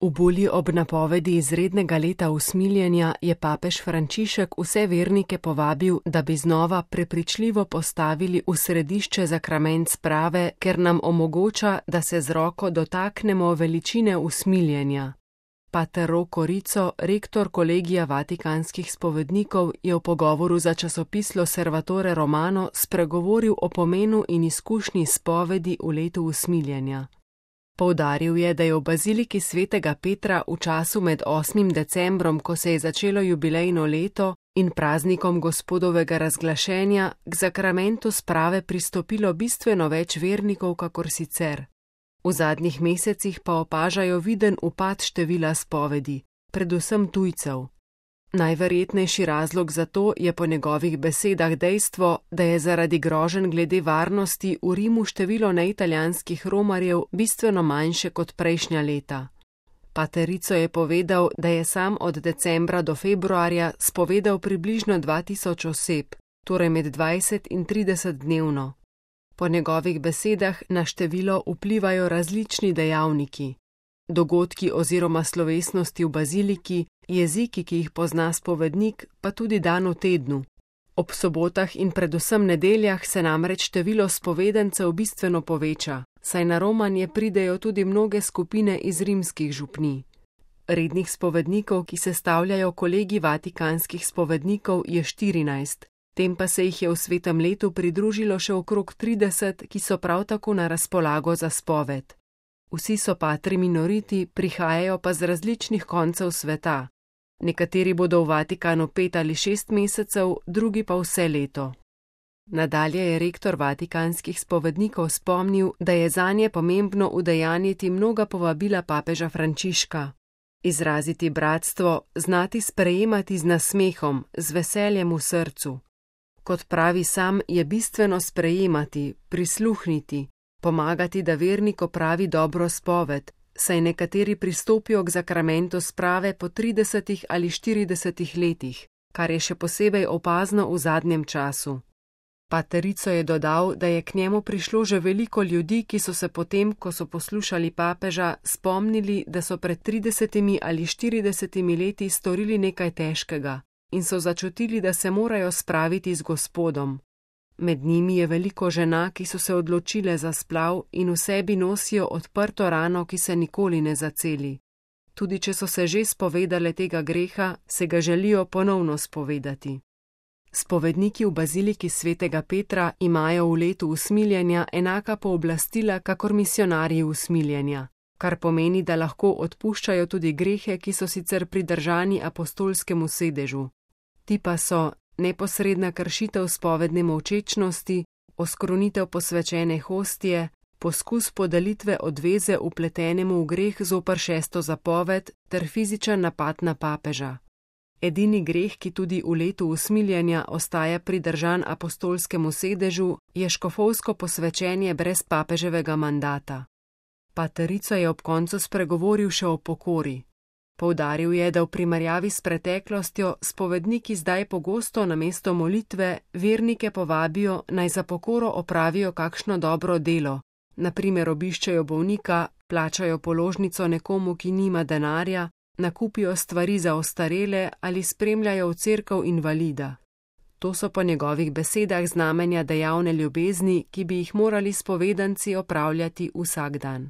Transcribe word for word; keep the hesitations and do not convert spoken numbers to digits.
V bulji ob napovedi izrednega leta usmiljenja je papež Frančišek vse vernike povabil, da bi znova prepričljivo postavili v središče zakrament sprave, ker nam omogoča, da se z roko dotaknemo veličine usmiljenja. Pater Rocco Rizzo, rektor kolegija vatikanskih spovednikov, je v pogovoru za časopis L'Osservatore Romano spregovoril o pomenu in izkušnji spovedi v letu usmiljenja. Poudaril je, da je v baziliki svetega Petra v času med osmim decembrom, ko se je začelo jubilejno leto, in praznikom Gospodovega razglašenja, k zakramentu sprave pristopilo bistveno več vernikov kakor sicer. V zadnjih mesecih pa opažajo viden upad števila spovedi, predvsem tujcev. Najverjetnejši razlog za to je po njegovih besedah dejstvo, da je zaradi groženj glede varnosti v Rimu število neitalijanskih romarjev bistveno manjše kot prejšnja leta. Pater Rizzo je povedal, da je sam od decembra do februarja spovedal približno dva tisoč oseb, torej med dvajset in trideset dnevno. Po njegovih besedah na število vplivajo različni dejavniki. Dogodki oziroma slovesnosti v baziliki, jeziki, ki jih pozna spovednik, pa tudi dan v tednu. Ob sobotah in predvsem nedeljah se namreč število spovedencev bistveno poveča, saj na romanje pridejo tudi mnoge skupine iz rimskih župnij. Rednih spovednikov, ki sestavljajo kolegi vatikanskih spovednikov, je štirinajst, tem pa se jih je v svetem letu pridružilo še okrog trideset, ki so prav tako na razpolago za spoved. Vsi so patri minoriti, prihajajo pa z različnih koncev sveta. Nekateri bodo v Vatikanu pet ali šest mesecev, drugi pa vse leto. Nadalje je rektor vatikanskih spovednikov spomnil, da je zanje pomembno udejanjiti mnoga povabila papeža Frančiška. Izraziti bratstvo, znati sprejemati z nasmehom, z veseljem v srcu. Kot pravi sam, je bistveno sprejemati, prisluhniti, pomagati, da vernik opravi dobro spoved, saj nekateri pristopijo k zakramentu sprave po tridesetih ali štiridesetih letih, kar je še posebej opazno v zadnjem času. Pater Rizzo je dodal, da je k njemu prišlo že veliko ljudi, ki so se potem, ko so poslušali papeža, spomnili, da so pred tridesetimi ali štiridesetimi leti storili nekaj težkega in so začutili, da se morajo spraviti z Gospodom. Med njimi je veliko žena, ki so se odločile za splav in v sebi nosijo odprto rano, ki se nikoli ne zaceli. Tudi če so se že spovedale tega greha, se ga želijo ponovno spovedati. Spovedniki v baziliki svetega Petra imajo v letu usmiljenja enaka pooblastila kakor misionarji usmiljenja, kar pomeni, da lahko odpuščajo tudi grehe, ki so sicer pridržani apostolskemu sedežu. Ti pa so neposredna kršitev spovedne molčečnosti, oskrunitev posvečene hostije, poskus podelitve odveze vpletenemu v greh zoper šesto zapoved ter fizičen napad na papeža. Edini greh, ki tudi v letu usmiljenja ostaja pridržan apostolskemu sedežu, je škofovsko posvečenje brez papeževega mandata. Pater Rizzo je ob koncu spregovoril še o pokori. Poudaril je, da v primerjavi s preteklostjo spovedniki zdaj pogosto namesto molitve vernike povabijo, naj za pokoro opravijo kakšno dobro delo, na primer obiščejo bolnika, plačajo položnico nekomu, ki nima denarja, nakupijo stvari za ostarele ali spremljajo v cerkev invalida. To so po njegovih besedah znamenja dejavne ljubezni, ki bi jih morali spovedanci opravljati vsak dan.